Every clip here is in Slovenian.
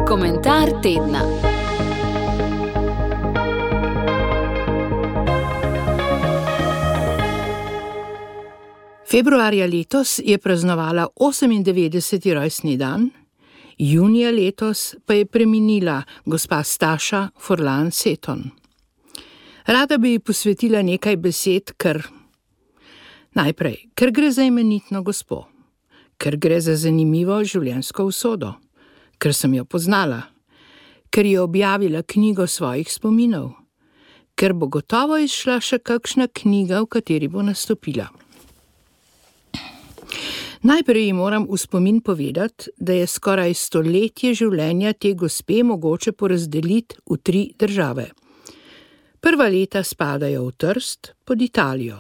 Komentar tedna. Februarja letos je praznovala 98. rojstni dan, junija letos pa je preminila gospa Staša Furlan Seton. Rada bi ji posvetila nekaj besed, ker gre za imenitno gospo, ker gre za zanimivo življenjsko usodo, ker sem jo poznala, ker je objavila knjigo svojih spominov, ker bo gotovo izšla še kakšna knjiga, v kateri bo nastopila. Najprej ji moram v spomin povedati, da je skoraj stoletje življenja te gospe mogoče porazdeliti v 3 države. Prva leta spadajo v Trst pod Italijo,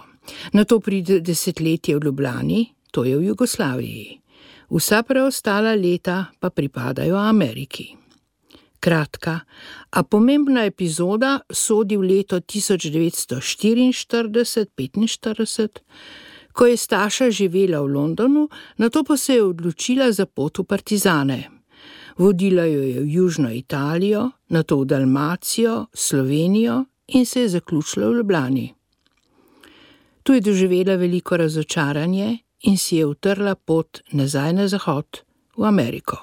nato pride desetletje v Ljubljani, to je v Jugoslaviji. Vsa preostala leta pa pripadajo Ameriki. Kratka, a pomembna epizoda sodi v leto 1944-45, ko je Staša živela v Londonu, nato pa se je odločila za pot v partizane. Vodila jo je v Južno Italijo, nato v Dalmacijo, Slovenijo in se je zaključila v Ljubljani. Tu je doživela veliko razočaranje in si je utrla pot nazaj na zahod, v Ameriko.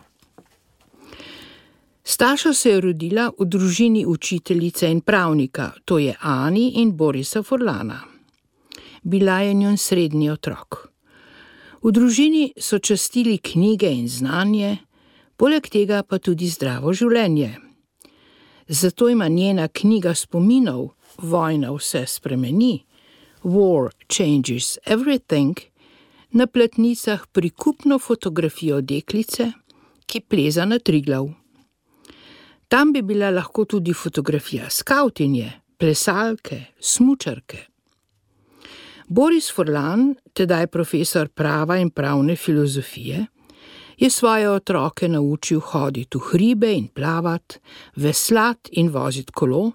Staša se je rodila v družini učiteljice in pravnika, to je Ani in Borisa Furlana. Bila je njen srednji otrok. V družini so častili knjige in znanje, poleg tega pa tudi zdravo življenje. Zato ima njena knjiga spominov Vojna vse spremeni, War Changes Everything, na platnicah prikupno fotografijo deklice, ki pleza na Triglav. Tam bi bila lahko tudi fotografija skavtinje, plesalke, smučarke. Boris Furlan, tedaj profesor prava in pravne filozofije, je svoje otroke naučil hoditi v hribe in plavati, veslati in voziti kolo,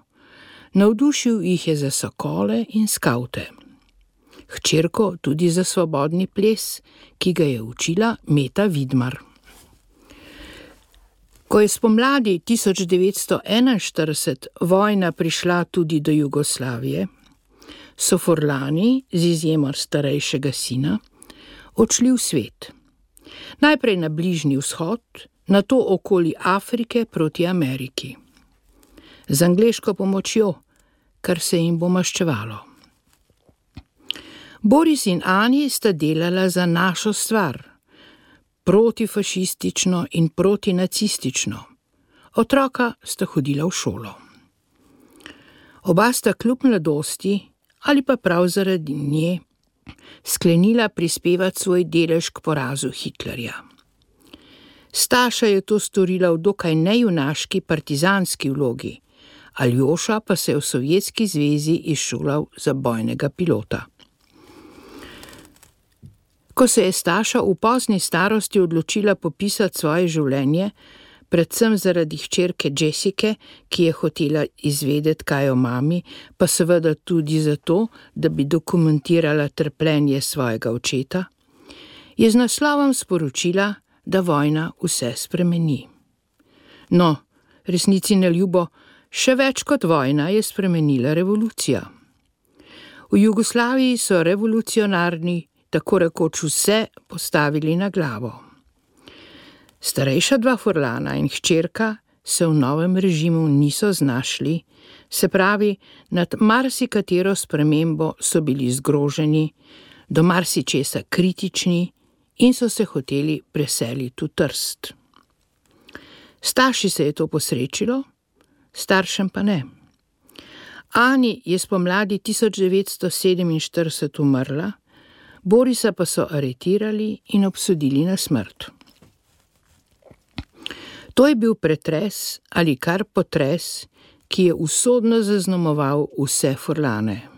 navdušil jih je za sokole in skavte. Hčerko tudi za svobodni ples, ki ga je učila Meta Vidmar. Ko je spomladi 1941 vojna prišla tudi do Jugoslavije, so Furlani, z izjemo starejšega sina, odšli v svet. Najprej na Bližnji vzhod, nato okoli Afrike proti Ameriki. Z angleško pomočjo, kar se jim bo maščevalo. Boris in Ani sta delala za Našo stvar, protifašistično in protinacistično. Otroka sta hodila v šolo. Oba sta kljub mladosti, ali pa prav zaradi nje, sklenila prispevati svoj delež k porazu Hitlerja. Staša je to storila v dokaj nejunaški partizanski vlogi, Aljoša pa se je v Sovjetski zvezi izšolal za bojnega pilota. Ko se je Staša v pozni starosti odločila popisati svoje življenje, predvsem zaradi hčerke Jessike, ki je hotela izvedeti, kaj o mami, pa seveda tudi zato, da bi dokumentirala trpljenje svojega očeta, je z naslovom sporočila, da vojna vse spremeni. No, resnici na ljubo, še več kot vojna je spremenila revolucija. V Jugoslaviji so revolucionarni tako rekoč vse postavili na glavo. Starejša 2 Furlana in hčerka se v novem režimu niso znašli, se pravi, nad marsikatero spremembo so bili zgroženi, do marsičesa kritični in so se hoteli preseliti v Trst. Staši se je to posrečilo, staršem pa ne. Ani je spomladi 1947 umrla, Borisa pa so aretirali in obsodili na smrt. To je bil pretres ali kar potres, ki je usodno zaznamoval vse Furlane.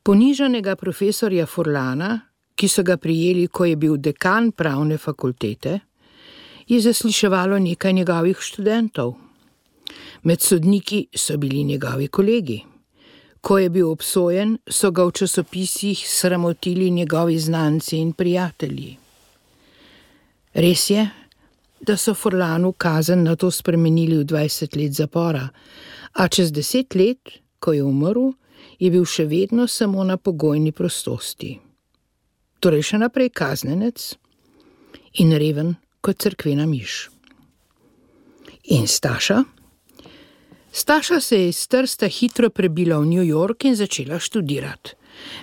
Ponižanega profesorja Furlana, ki so ga prijeli, ko je bil dekan pravne fakultete, je zasliševalo nekaj njegovih študentov. Med sodniki so bili njegovi kolegi. Ko je bil obsojen, so ga v časopisih sramotili njegovi znanci in prijatelji. Res je, da so Furlanu kazen na to spremenili v 20 let zapora, a čez 10 let, ko je umrl, je bil še vedno samo na pogojni prostosti. Torej še naprej kaznenec in reven kot cerkvena miš. In Staša? Staša se je iz Trsta hitro prebila v New York in začela študirati.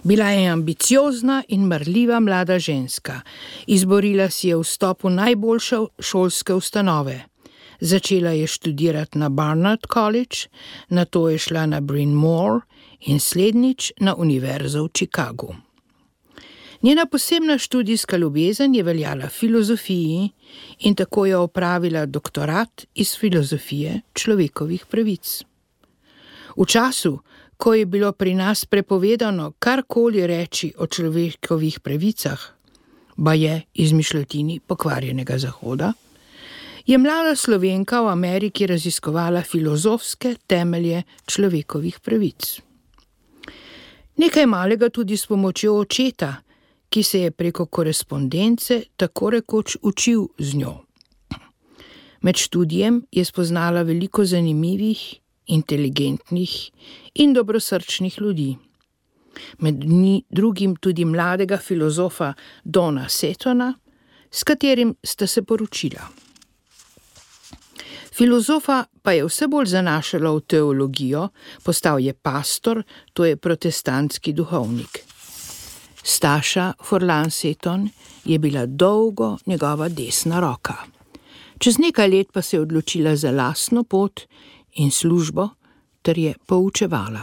Bila je ambiciozna in marljiva mlada ženska. Izborila si je vstop v najboljše šolske ustanove. Začela je študirati na Barnard College, nato je šla na Bryn Mawr in slednjič na Univerzo v Chicagu. Njena posebna študijska ljubezen je veljala filozofiji in tako je opravila doktorat iz filozofije človekovih pravic. V času, ko je bilo pri nas prepovedano karkoli reči o človekovih pravicah, baje izmišljotini pokvarjenega Zahoda, je mlada Slovenka v Ameriki raziskovala filozofske temelje človekovih pravic. Nekaj malega tudi s pomočjo očeta, ki se je preko korespondence tako rekoč učil z njo. Med študijem je spoznala veliko zanimivih, inteligentnih in dobrosrčnih ljudi. Med drugim tudi mladega filozofa Dona Setona, s katerim sta se poročila. Filozofa pa je vse bolj zanašala v teologijo, postal je pastor, to je protestantski duhovnik. Staša Furlan Seton je bila dolgo njegova desna roka. Čez nekaj let pa se je odločila za lastno pot in službo, ter je poučevala.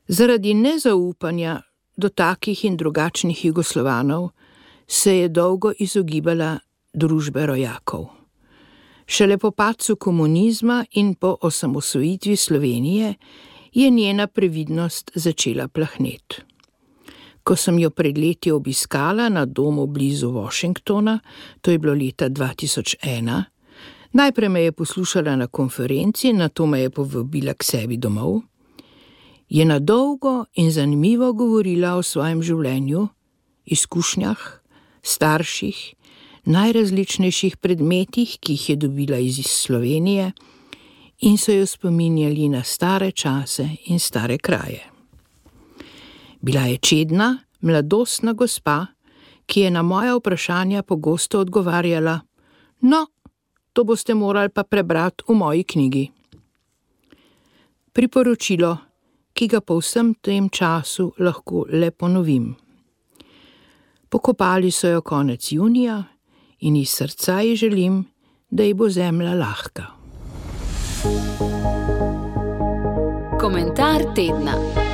Zaradi nezaupanja do takih in drugačnih Jugoslovanov se je dolgo izogibala družbe rojakov. Šele po padcu komunizma in po osamosvojitvi Slovenije je njena previdnost začela plahneti. Ko sem jo pred leti obiskala na domu blizu Washingtona, to je bilo leta 2001, najprej me je poslušala na konferenci, nato me je povabila k sebi domov, je na dolgo in zanimivo govorila o svojem življenju, izkušnjah, starših, najrazličnejših predmetih, ki jih je dobila iz Slovenije in so jo spominjali na stare čase in stare kraje. Bila je čedna, mladostna gospa, ki je na moja vprašanja pogosto odgovarjala: "No, to boste morali pa prebrati v moji knjigi." Priporočilo, ki ga po vsem tem času lahko le ponovim. Pokopali so jo konec junija in iz srca ji želim, da ji bo zemlja lahka. Komentar tedna.